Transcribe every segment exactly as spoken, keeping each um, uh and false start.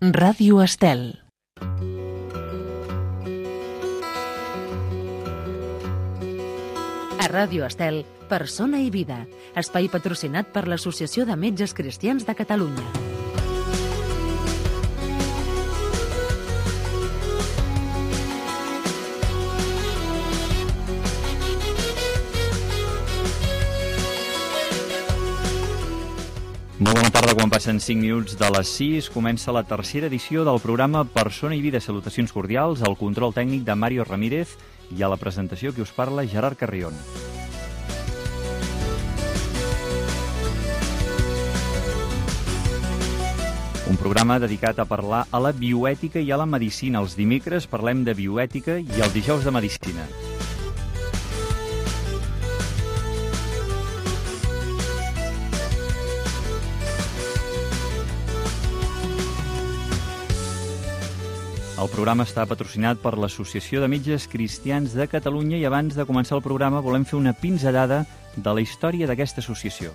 Ràdio Estel. A Ràdio Estel, Persona i Vida, espai patrocinat per l'Associació de Metges Cristians de Catalunya. Molt bona tarda, quan passen cinc minuts de les sis, comença la tercera edició del programa Persona i Vida. Salutacions cordials, al control tècnic de Mario Ramírez i a la presentació que us parla Gerard Carrion. Un programa dedicat a parlar a la bioètica i a la medicina. Els dimecres parlem de bioètica i els dijous de medicina. El programa està patrocinat per l'Associació de Metges Cristians de Catalunya i abans de començar el programa volem fer una pinzellada de la història d'aquesta associació.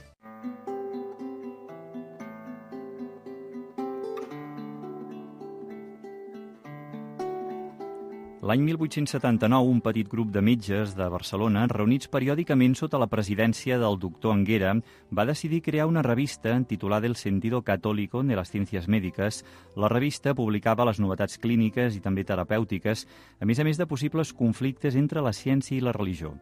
L'any mil vuit-cents setanta-nou, un petit grup de metges de Barcelona, reunits periòdicament sota la presidència del doctor Anguera, va decidir crear una revista titulada El Sentido Católico de las Ciencias Médicas. La revista publicava les novetats clíniques i també terapèutiques, a més a més de possibles conflictes entre la ciència i la religió.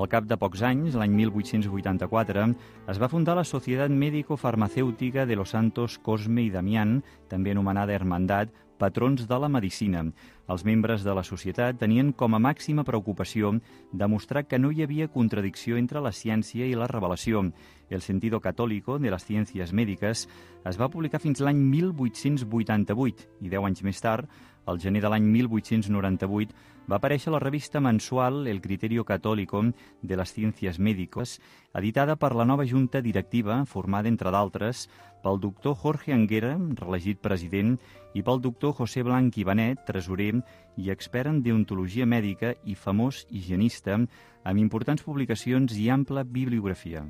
Al cap de pocs anys, l'any mil vuit-cents vuitanta-quatre, es va fundar la Societat Médico-Farmacèutica de los Santos Cosme i Damián, també anomenada Hermandat, patrons de la medicina. Els membres de la societat tenien com a màxima preocupació demostrar que no hi havia contradicció entre la ciència i la revelació. El Sentido Católico de las Ciencias Médicas es va publicar fins l'any mil vuit-cents vuitanta-vuit i deu anys més tard, al gener de l'any mil vuit-cents noranta-vuit, va aparèixer la revista mensual El Criterio Católico de las Ciencias Médicas, editada per la nova junta directiva, formada, entre d'altres, pel doctor Jorge Anguera, reelegit president, i pel doctor José Blanch i Benet, tresorer i expert en deontologia mèdica i famós higienista, amb importants publicacions i ampla bibliografia.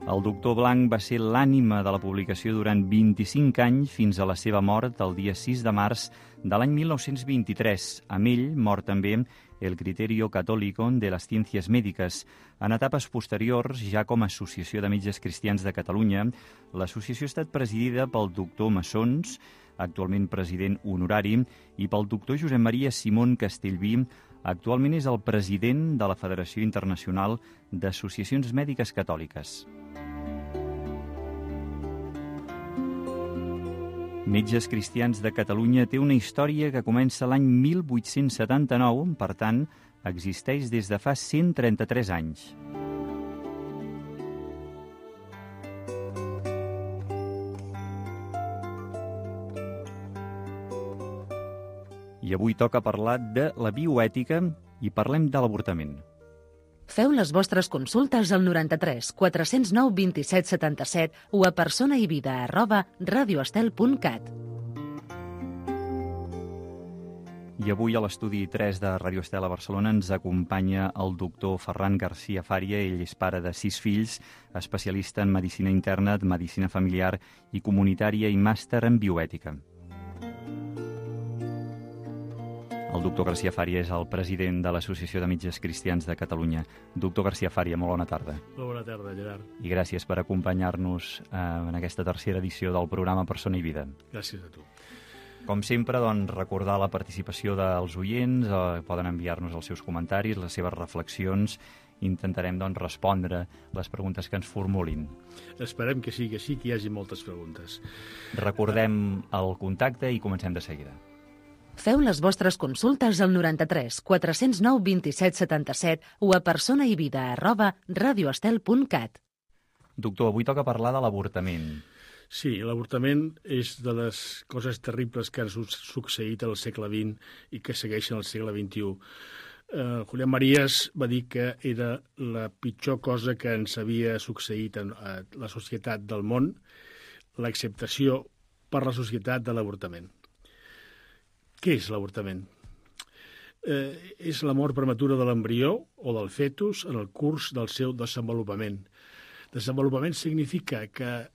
El doctor Blanch va ser l'ànima de la publicació durant vint-i-cinc anys fins a la seva mort el dia sis de març de l'any mil nou-cents vint-i-tres. Amb ell mor també El Criterio Católico de las Ciencias Médicas. En etapes posteriors, ja com a Associació de Metges Cristians de Catalunya, l'associació ha estat presidida pel doctor Massons, actualment president honorari, i pel doctor Josep Maria Simón Castellví, actualment és el president de la Federació Internacional d'Associacions Mèdiques Catòliques. Metges Cristians de Catalunya té una història que comença l'any mil vuit-cents setanta-nou, per tant, existeix des de fa cent trenta-tres anys. I avui toca parlar de la bioètica i parlem de l'avortament. Feu les vostres consultes al noranta-tres quatre-cents nou vint-i-set setanta-set o a personaivida arroba radioestel punt cat. I avui a l'estudi tres de Ràdio Estel a Barcelona ens acompanya el doctor Ferran García Fària. Ell és pare de sis fills, especialista en medicina interna, medicina familiar i comunitària i màster en bioètica. El doctor García Fària és el president de l'Associació de Metges Cristians de Catalunya. Doctor García Fària, molt bona tarda. Molt bona tarda, Gerard. I gràcies per acompanyar-nos eh, en aquesta tercera edició del programa Persona i Vida. Gràcies a tu. Com sempre, doncs, recordar la participació dels oients, eh, poden enviar-nos els seus comentaris, les seves reflexions, intentarem doncs, respondre les preguntes que ens formulin. Esperem que sigui així, que hi hagi moltes preguntes. Recordem el contacte i comencem de seguida. Feu les vostres consultes al noranta-tres quatre-cents nou vint-i-set setanta-set o a personaivida arroba radioestel punt cat. Doctor, avui toca parlar de l'avortament. Sí, l'avortament és de les coses terribles que han succeït al segle vint i que segueixen al segle vint-i-u. Uh, Julián Marías va dir que era la pitjor cosa que ens havia succeït a la societat del món, l'acceptació per la societat de l'avortament. Què és l'avortament? eh, és la mort prematura de l'embrió o del fetus en el curs del seu desenvolupament. Desenvolupament significa que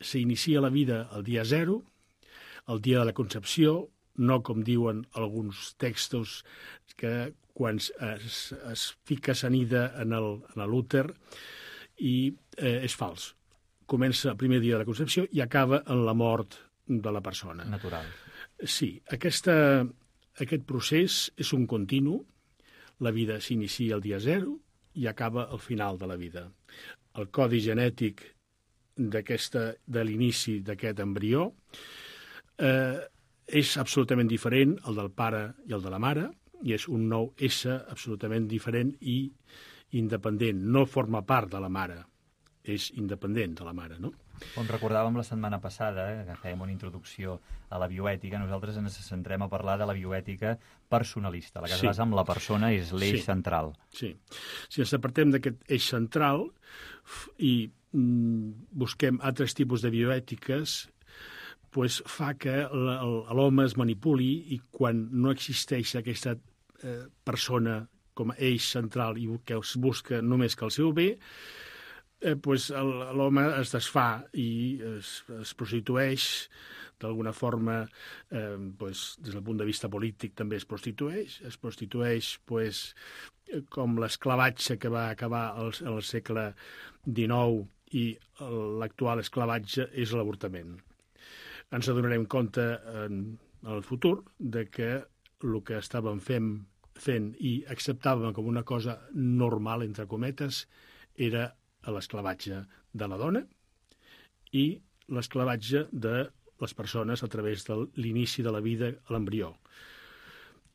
s'inicia la vida el dia zero, el dia de la concepció, no com diuen alguns textos que quan es, es fica sanida en l'úter i eh, és fals. Comença el primer dia de la concepció i acaba en la mort de la persona. Natural. Sí, aquesta, aquest procés és un continu. La vida s'inicia el dia zero i acaba al final de la vida. El codi genètic d'aquesta de l'inici d'aquest embrió eh, és absolutament diferent al del pare i el de la mare, i és un nou ésser absolutament diferent i independent. No forma part de la mare, és independent de la mare, no? Com recordàvem la setmana passada, eh, que fèiem una introducció a la bioètica, nosaltres ens centrem a parlar de la bioètica personalista, la que Sí. es basa en la persona, és l'eix Sí. central. Sí. Si ens apartem d'aquest eix central i mm, busquem altres tipus de bioètiques, pues fa que l'home es manipuli i quan no existeix aquesta eh, persona com a eix central i que es busca només que el seu bé, eh, pues l'home es desfà i es, es prostitueix d'alguna forma, eh, pues, des del punt de vista polític també es prostitueix, es prostitueix pues, com l'esclavatge que va acabar al, al segle dinou i l'actual esclavatge és l'avortament. Ens adonarem compte en el futur de que el que estàvem fent, fent i acceptàvem com una cosa normal, entre cometes, era l'esclavatge de la dona i l'esclavatge de les persones a través de l'inici de la vida a l'embrió.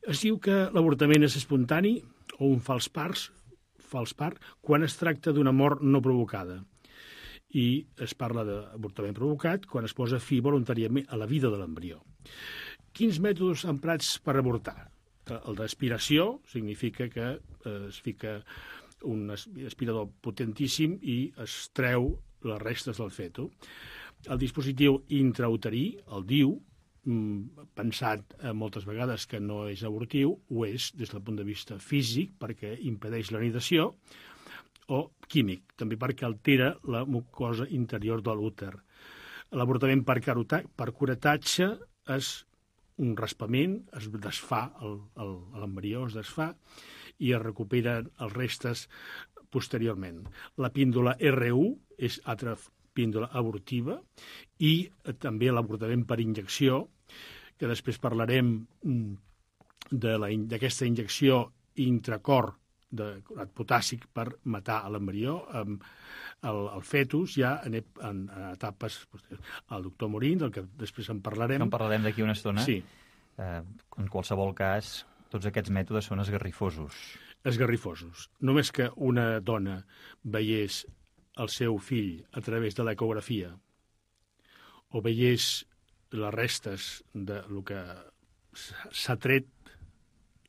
Es diu que l'avortament és espontani o un fals part, fals part quan es tracta d'una mort no provocada. I es parla d'avortament provocat quan es posa fi voluntàriament a la vida de l'embrió. Quins mètodes emprats per avortar? El d'aspiració significa que es fica un aspirador potentíssim i es treu les restes del feto. El dispositiu intrauterí, el D I U, pensat moltes vegades que no és abortiu, ho és des del punt de vista físic perquè impedeix la nidació, o químic, també perquè altera la mucosa interior de l'úter. L'avortament per, per curetatge és un raspament, es desfà, l'embrió es desfà i es recuperen els restes posteriorment. La píndola R u és altra píndola abortiva i també l'avortament per injecció, que després parlarem d'aquesta injecció intracor de potàssic per matar l'embrió, el, el fetus ja en, en, en etapes posteriors. El doctor Morín, del que després en parlarem. En parlarem d'aquí una estona. Sí. Eh, en qualsevol cas, tots aquests mètodes són esgarrifosos. Esgarrifosos. Només que una dona veiés el seu fill a través de l'ecografia o veiés les restes de lo que s'ha tret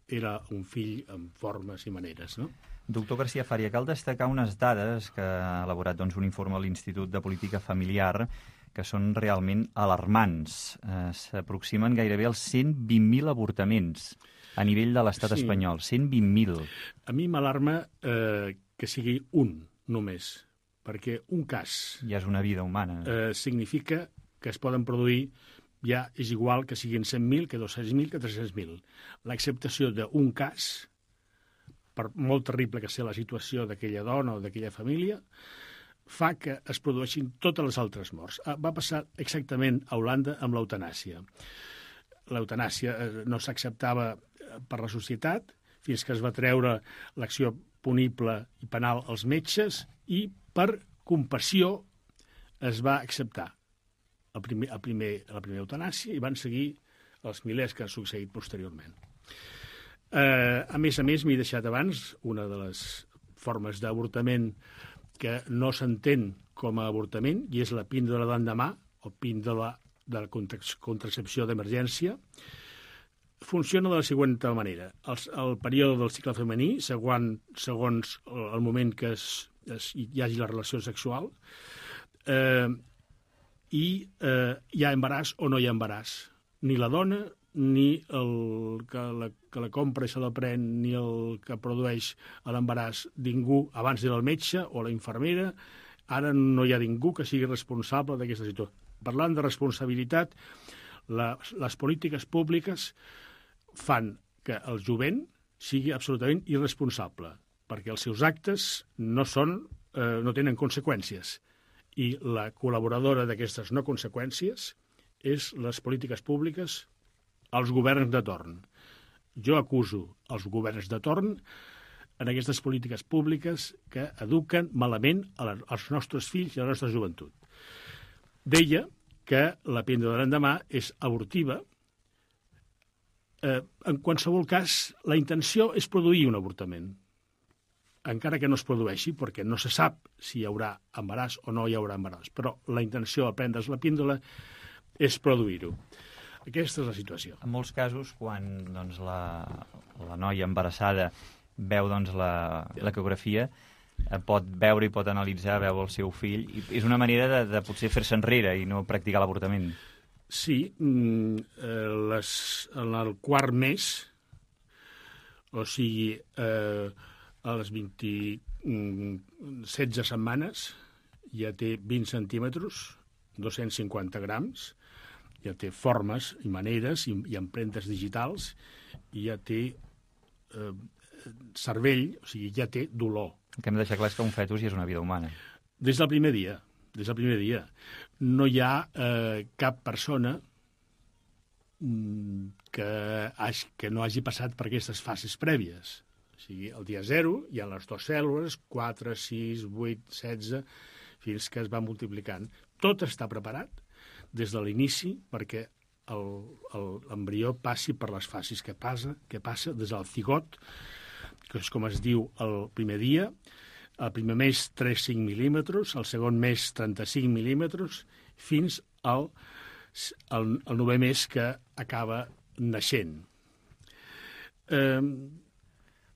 era un fill amb formes i maneres, no? Doctor García Faria, cal destacar unes dades que ha elaborat doncs, un informe a l'Institut de Política Familiar que són realment alarmants. Eh, S'aproximen gairebé als cent vint mil avortaments a nivell de l'estat Sí. espanyol. cent vint mil. A mi m'alarma eh, que sigui un només, perquè un cas Ja és una vida humana. eh, significa que es poden produir ja és igual que siguin cent mil, que dos-cents mil, que tres-cents mil. L'acceptació d'un cas, per molt terrible que sigui la situació d'aquella dona o d'aquella família, fa que es produeixin totes les altres morts. Va passar exactament a Holanda amb l'eutanàsia. L'eutanàsia no s'acceptava per la societat fins que es va treure l'acció punible i penal als metges i per compassió es va acceptar el primer, el primer, la primera eutanàsia i van seguir els milers que han succeït posteriorment. Eh, a més a més, m'he deixat abans una de les formes d'avortament que no s'entén com a avortament i és la píndola d'endemà o píndola de la contracepció d'emergència. Funciona de la següent manera. El, el període del cicle femení, segons, segons el moment que es, es, hi hagi la relació sexual, eh, i eh, hi ha embaràs o no hi ha embaràs. Ni la dona ni el que la, que la compra i se la pren, ni el que produeix l'embaràs, ningú, abans era el metge o la infermera, ara no hi ha ningú que sigui responsable d'aquesta situació. Parlant de responsabilitat, la, les polítiques públiques fan que el jovent sigui absolutament irresponsable, perquè els seus actes no, són, eh, no tenen conseqüències. I la col·laboradora d'aquestes no conseqüències és les polítiques públiques als governs de torn. Jo acuso els governs de torn en aquestes polítiques públiques que eduquen malament als nostres fills i a la nostra joventut. Deia que la píndola de l'endemà és abortiva. Eh, en qualsevol cas, la intenció és produir un avortament, encara que no es produeixi, perquè no se sap si hi haurà embaràs o no hi haurà embaràs. Però la intenció al prendre's la píndola és produir-ho. Aquesta és la situació. En molts casos, quan doncs, la, la noia embarassada veu doncs, la, l'ecografia, eh, pot veure i pot analitzar, veu el seu fill, i és una manera de, de potser fer-se enrere i no practicar l'avortament. Sí, eh, les, en el quart mes, o sigui, eh, a les vint, setze setmanes, ja té vint centímetres, dos-cents cinquanta grams, ja té formes i maneres i, i empremtes digitals, i ja té eh, cervell, o sigui, ja té dolor. El que hem de deixar clar és que un fetus ja és una vida humana. Des del primer dia, des del primer dia. No hi ha eh, cap persona que, hagi, que no hagi passat per aquestes fases prèvies. O sigui, el dia zero hi ha les dues cèl·lules, quatre, sis, vuit, setze, fins que es va multiplicant. Tot està preparat des de l'inici perquè l'embrió passi per les fases que passa, que passa des del cigot, que és com es diu el primer dia, el primer mes tres coma cinc mil·límetres, el segon mes trenta-cinc mil·límetres, fins al, al, al novè mes que acaba naixent. Eh,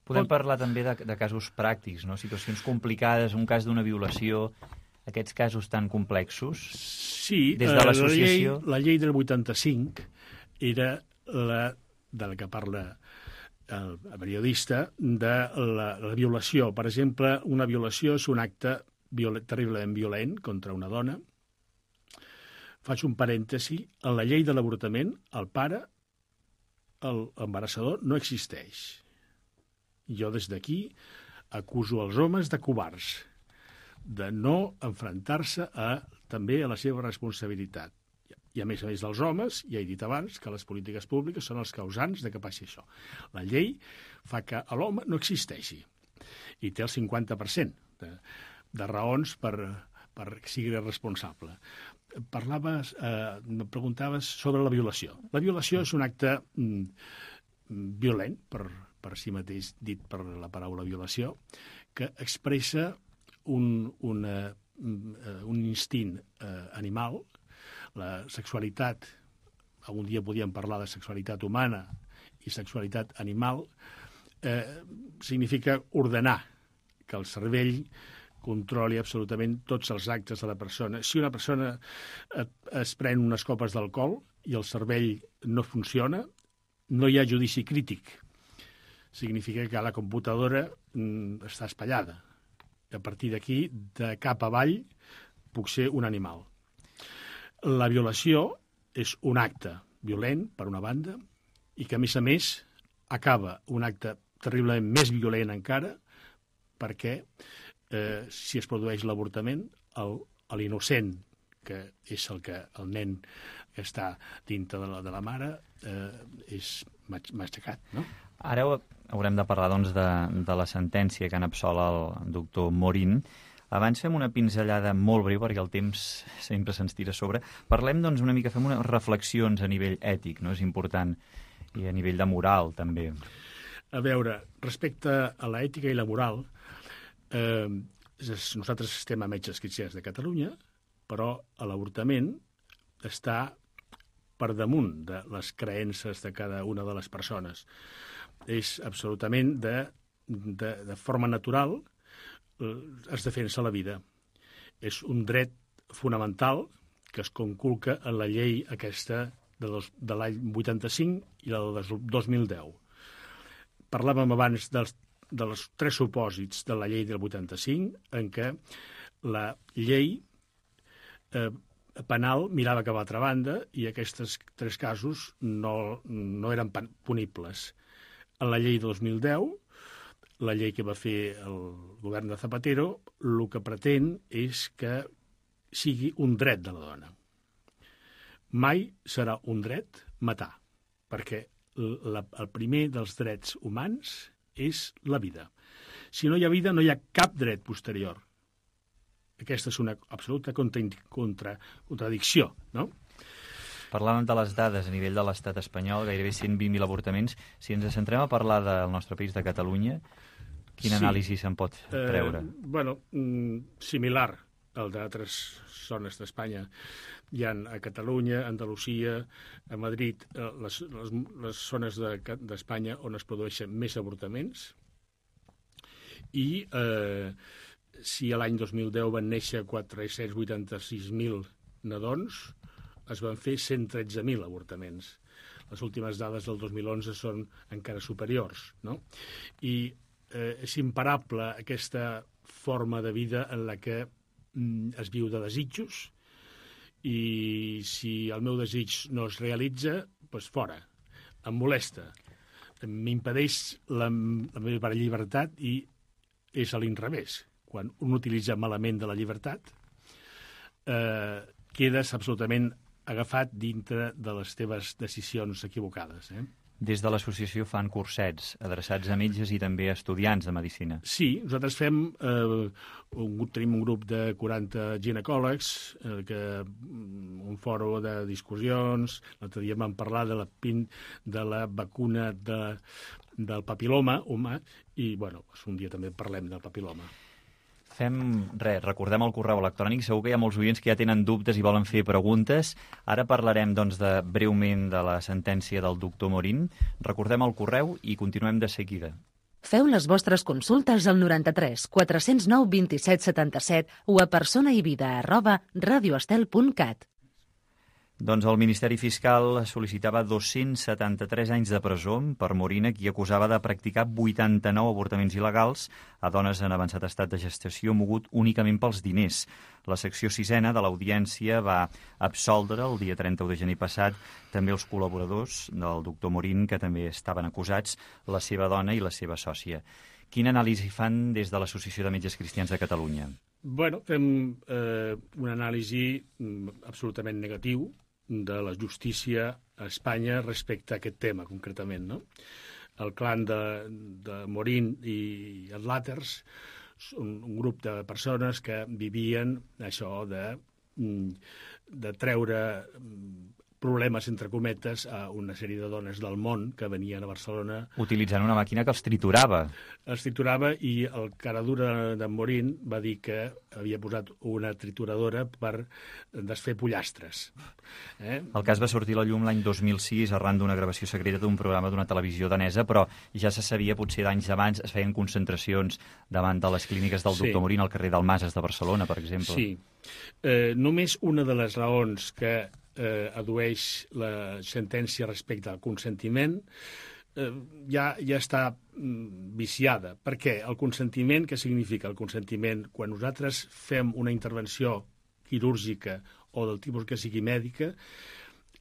Podem parlar també de, de casos pràctics, no? Situacions complicades, un cas d'una violació, aquests casos tan complexos. Sí, des de l'associació... la, llei, la llei del vuitanta-cinc era la de la que parla el periodista, de la, la violació. Per exemple, una violació és un acte violent, terriblement violent contra una dona. Faig un parèntesi. En la llei de l'avortament, el pare, l'embarassador, no existeix. Jo des d'aquí acuso els homes de covards, de no enfrontar-se a, també a la seva responsabilitat. I a més a més dels homes, ja he dit abans, que les polítiques públiques són els causants de que passi això. La llei fa que l'home no existeixi i té el cinquanta per cent de, de raons per, per sigui responsable. Parlaves, eh, me preguntaves sobre la violació. La violació és un acte mm, violent, per, per si mateix dit per la paraula violació, que expressa un, una, un instint eh, animal. La sexualitat, algun dia podíem parlar de sexualitat humana i sexualitat animal, eh, significa ordenar que el cervell controli absolutament tots els actes de la persona. Si una persona es pren unes copes d'alcohol i el cervell no funciona, no hi ha judici crític. Significa que la computadora mm, està espatllada. A partir d'aquí, de cap avall, puc ser un animal. La violació és un acte violent, per una banda, i que, a més a més, acaba un acte terriblement més violent encara, perquè eh, si es produeix l'avortament, l'innocent, que és el que el nen que està dintre de la, de la mare, eh, és matxacat, no? Ara haurem de parlar doncs, de, de la sentència que han absolt el doctor Morín. Abans fem una pinzellada molt breu, perquè el temps sempre se'ns tira a sobre. Parlem doncs, una mica, fem unes reflexions a nivell ètic, no? És important, i a nivell de moral, també. A veure, respecte a l'ètica i la moral, eh, nosaltres estem a Metges Cristians de Catalunya, però l'avortament està per damunt de les creences de cada una de les persones. És absolutament de, de, de forma natural, es defensa la vida. És un dret fonamental que es conculca en la llei aquesta de, dos, de l'any vuitanta-cinc i la del dos mil deu. Parlàvem abans dels, dels tres supòsits de la llei del vuitanta-cinc, en què la llei eh, penal mirava cap a l'altra banda i aquests tres casos no, no eren punibles. En la llei de dos mil deu, la llei que va fer el govern de Zapatero, el que pretén és que sigui un dret de la dona. Mai serà un dret matar, perquè la, el primer dels drets humans és la vida. Si no hi ha vida, no hi ha cap dret posterior. Aquesta és una absoluta contra, contra, contradicció, no? Parlàvem de les dades a nivell de l'estat espanyol, gairebé cent vint mil avortaments. Si ens centrem a parlar del nostre país, de Catalunya, quin sí. anàlisi se'n pot treure? Eh, bueno, similar al d'altres zones d'Espanya. Hi ha a Catalunya, a Andalusia, a Madrid, les, les, les zones d'Espanya on es produeixen més avortaments. I eh, si a l'any dos mil deu van néixer quatre-cents vuitanta-sis mil nadons, es van fer cent tretze mil avortaments. Les últimes dades del dos mil onze són encara superiors, no? I eh, és imparable aquesta forma de vida en la que mm, es viu de desitjos, i si el meu desig no es realitza, doncs fora, em molesta, m'impedeix la, la meva llibertat i és a l'inrevés. Quan un utilitza malament de la llibertat, eh, quedes absolutament agafat dintre de les teves decisions equivocades. Eh? Des de l'associació fan cursets adreçats a metges i també a estudiants de medicina. Sí, nosaltres fem, eh, un, tenim un grup de quaranta ginecòlegs, eh, que, un foro de discussions, l'altre dia vam parlar de la, pin, de la vacuna de, del papiloma humà, i bueno, un dia també parlem del papiloma. Fem res, recordem el correu electrònic. Segur que hi ha molts oients que ja tenen dubtes i volen fer preguntes. Ara parlarem, doncs, de, breument de la sentència del doctor Morín. Recordem el correu i continuem de seguida. Feu les vostres consultes al noranta-tres quatre-cents nou vint-i-set setanta-set o a personaivida arroba radioestel punt cat. Doncs el Ministeri Fiscal sol·licitava dos-cents setanta-tres anys de presó per Morín, qui acusava de practicar vuitanta-nou avortaments il·legals a dones en avançat estat de gestació mogut únicament pels diners. La secció sisena de l'audiència va absoldre el dia trenta-u de gener passat també els col·laboradors del doctor Morín, que també estaven acusats, la seva dona i la seva sòcia. Quina anàlisi fan des de l'Associació de Metges Cristians de Catalunya? Bueno, fem eh, una anàlisi absolutament negatiu de la justícia a Espanya respecte a aquest tema, concretament, no? El clan de, de Morín i els Làters, un, un grup de persones que vivien això de, de treure problemes, entre cometes, a una sèrie de dones del món que venien a Barcelona. Utilitzant una màquina que els triturava. Els triturava, i el caradura de Morín va dir que havia posat una trituradora per desfer pollastres. Eh? El cas va sortir a la llum l'any dos mil sis arran d'una gravació secreta d'un programa d'una televisió danesa, però ja se sabia, potser d'anys abans, es feien concentracions davant de les clíniques del doctor sí. Morín al carrer d'Almases de Barcelona, per exemple. Sí. Eh, només una de les raons que eh, adueix la sentència respecte al consentiment eh, ja, ja està mm, viciada. Per què? El consentiment, què significa el consentiment? Quan nosaltres fem una intervenció quirúrgica o del tipus que sigui mèdica,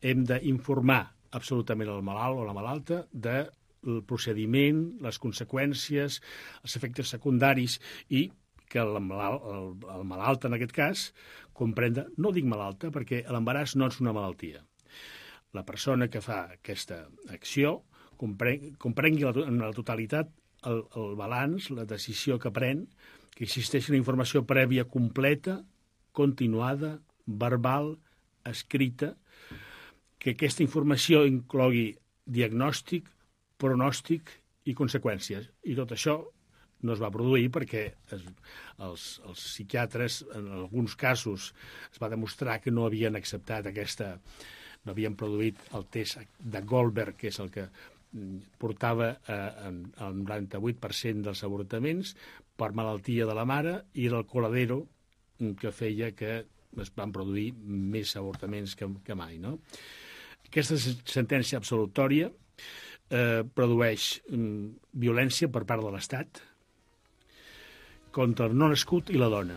hem d'informar absolutament el malalt o la malalta del procediment, les conseqüències, els efectes secundaris, i que el malalt, el, el malalt en aquest cas, comprenda, no dic malalta perquè l'embaràs no és una malaltia. La persona que fa aquesta acció comprengui, comprengui la, en la totalitat el, el balanç, la decisió que pren, que existeix una informació prèvia completa, continuada, verbal, escrita, que aquesta informació inclogui diagnòstic, pronòstic i conseqüències. I tot això no es va produir perquè es, els, els psiquiatres, en alguns casos, es va demostrar que no havien acceptat aquesta, no havien produït el test de Goldberg, que és el que portava eh, el noranta-vuit per cent dels avortaments per malaltia de la mare, i del coladero, que feia que es van produir més avortaments que, que mai, no? Aquesta sentència absolutòria eh, produeix mm, violència per part de l'Estat contra el no nascut i la dona.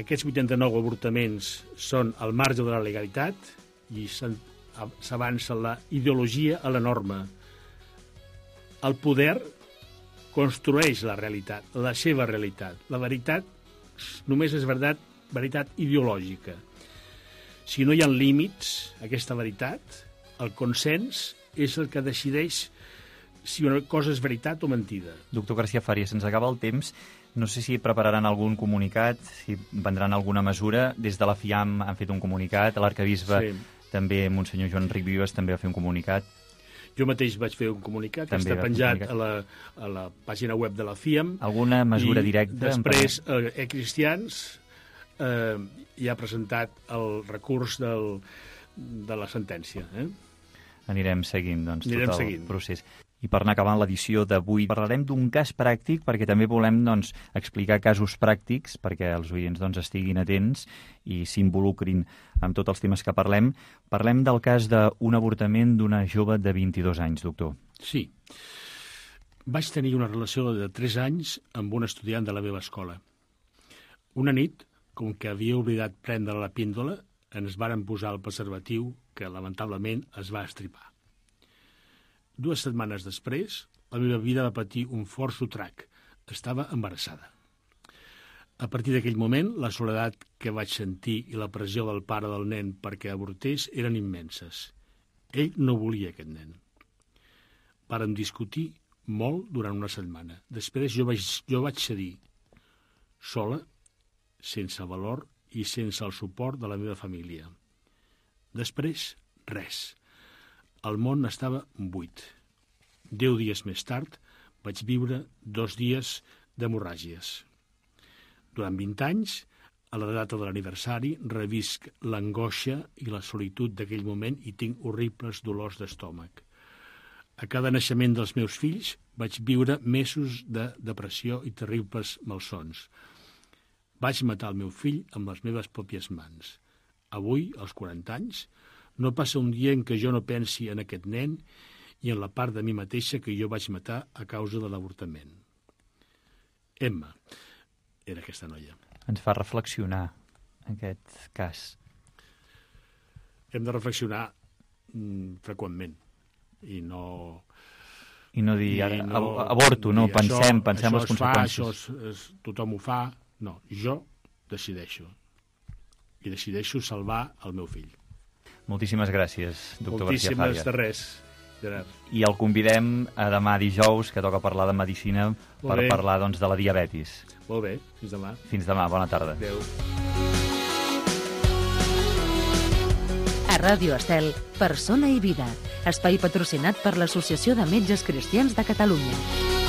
Aquests vuitanta-nou avortaments són al marge de la legalitat i s'avança la ideologia a la norma. El poder construeix la realitat, la seva realitat. La veritat només és veritat, veritat ideològica. Si no hi ha límits a aquesta veritat, el consens és el que decideix si una cosa és veritat o mentida. Doctor García Fàries, se'ns acaba el temps. No sé si prepararan algun comunicat, si prendran alguna mesura. Des de la FIAM han fet un comunicat, l'arcabisbe sí. també, Monsenyor Joan Ric Vives, també va fer un comunicat. Jo mateix vaig fer un comunicat, que està penjat a la, a la pàgina web de la FIAM. Alguna mesura directa? Després, eh, E-Cristians eh, ja ha presentat el recurs del, de la sentència. Eh? Anirem seguint, doncs, Anirem tot el seguint. procés. I per anar acabant l'edició d'avui, parlarem d'un cas pràctic, perquè també volem doncs, explicar casos pràctics, perquè els oients doncs, estiguin atents i s'involucrin amb tots els temes que parlem. Parlem del cas d'un avortament d'una jove de vint-i-dos anys, doctor. Sí. Vaig tenir una relació de tres anys amb un estudiant de la meva escola. Una nit, com que havia oblidat prendre la píndola, ens varen posar el preservatiu que, lamentablement, es va estripar. Dues setmanes després, la meva vida va patir un fort sotrac. Estava embarassada. A partir d'aquell moment, la soledat que vaig sentir i la pressió del pare del nen perquè avortés eren immenses. Ell no volia aquest nen. Vàrem discutir molt durant una setmana. Després jo vaig, jo vaig cedir, sola, sense valor i sense el suport de la meva família. Després, res. El món estava buit. Deu dies més tard vaig viure dos dies d'hemorràgies. Durant vint anys, a la data de l'aniversari, revisc l'angoixa i la solitud d'aquell moment i tinc horribles dolors d'estómac. A cada naixement dels meus fills vaig viure mesos de depressió i terribles malsons. Vaig matar el meu fill amb les meves pròpies mans. Avui, als quaranta anys, no passa un dia en què jo no pensi en aquest nen i en la part de mi mateixa que jo vaig matar a causa de l'avortament. Emma era aquesta noia. Ens fa reflexionar aquest cas. Hem de reflexionar mm, freqüentment i no... I no dir, I no, avorto, no, dir, pensem, això, pensem això les conseqüències. Fa, això és, és, tothom ho fa. No, jo decideixo. I decideixo salvar el meu fill. Moltíssimes gràcies, doctor García Fàries. Moltíssimes de res, Gerard. I el convidem a demà dijous, que toca parlar de medicina, Molt per bé. parlar doncs, de la diabetis. Molt bé, fins demà. Fins demà, bona tarda. Adéu. A Ràdio Estel, Persona i Vida, espai patrocinat per l'Associació de Metges Cristians de Catalunya.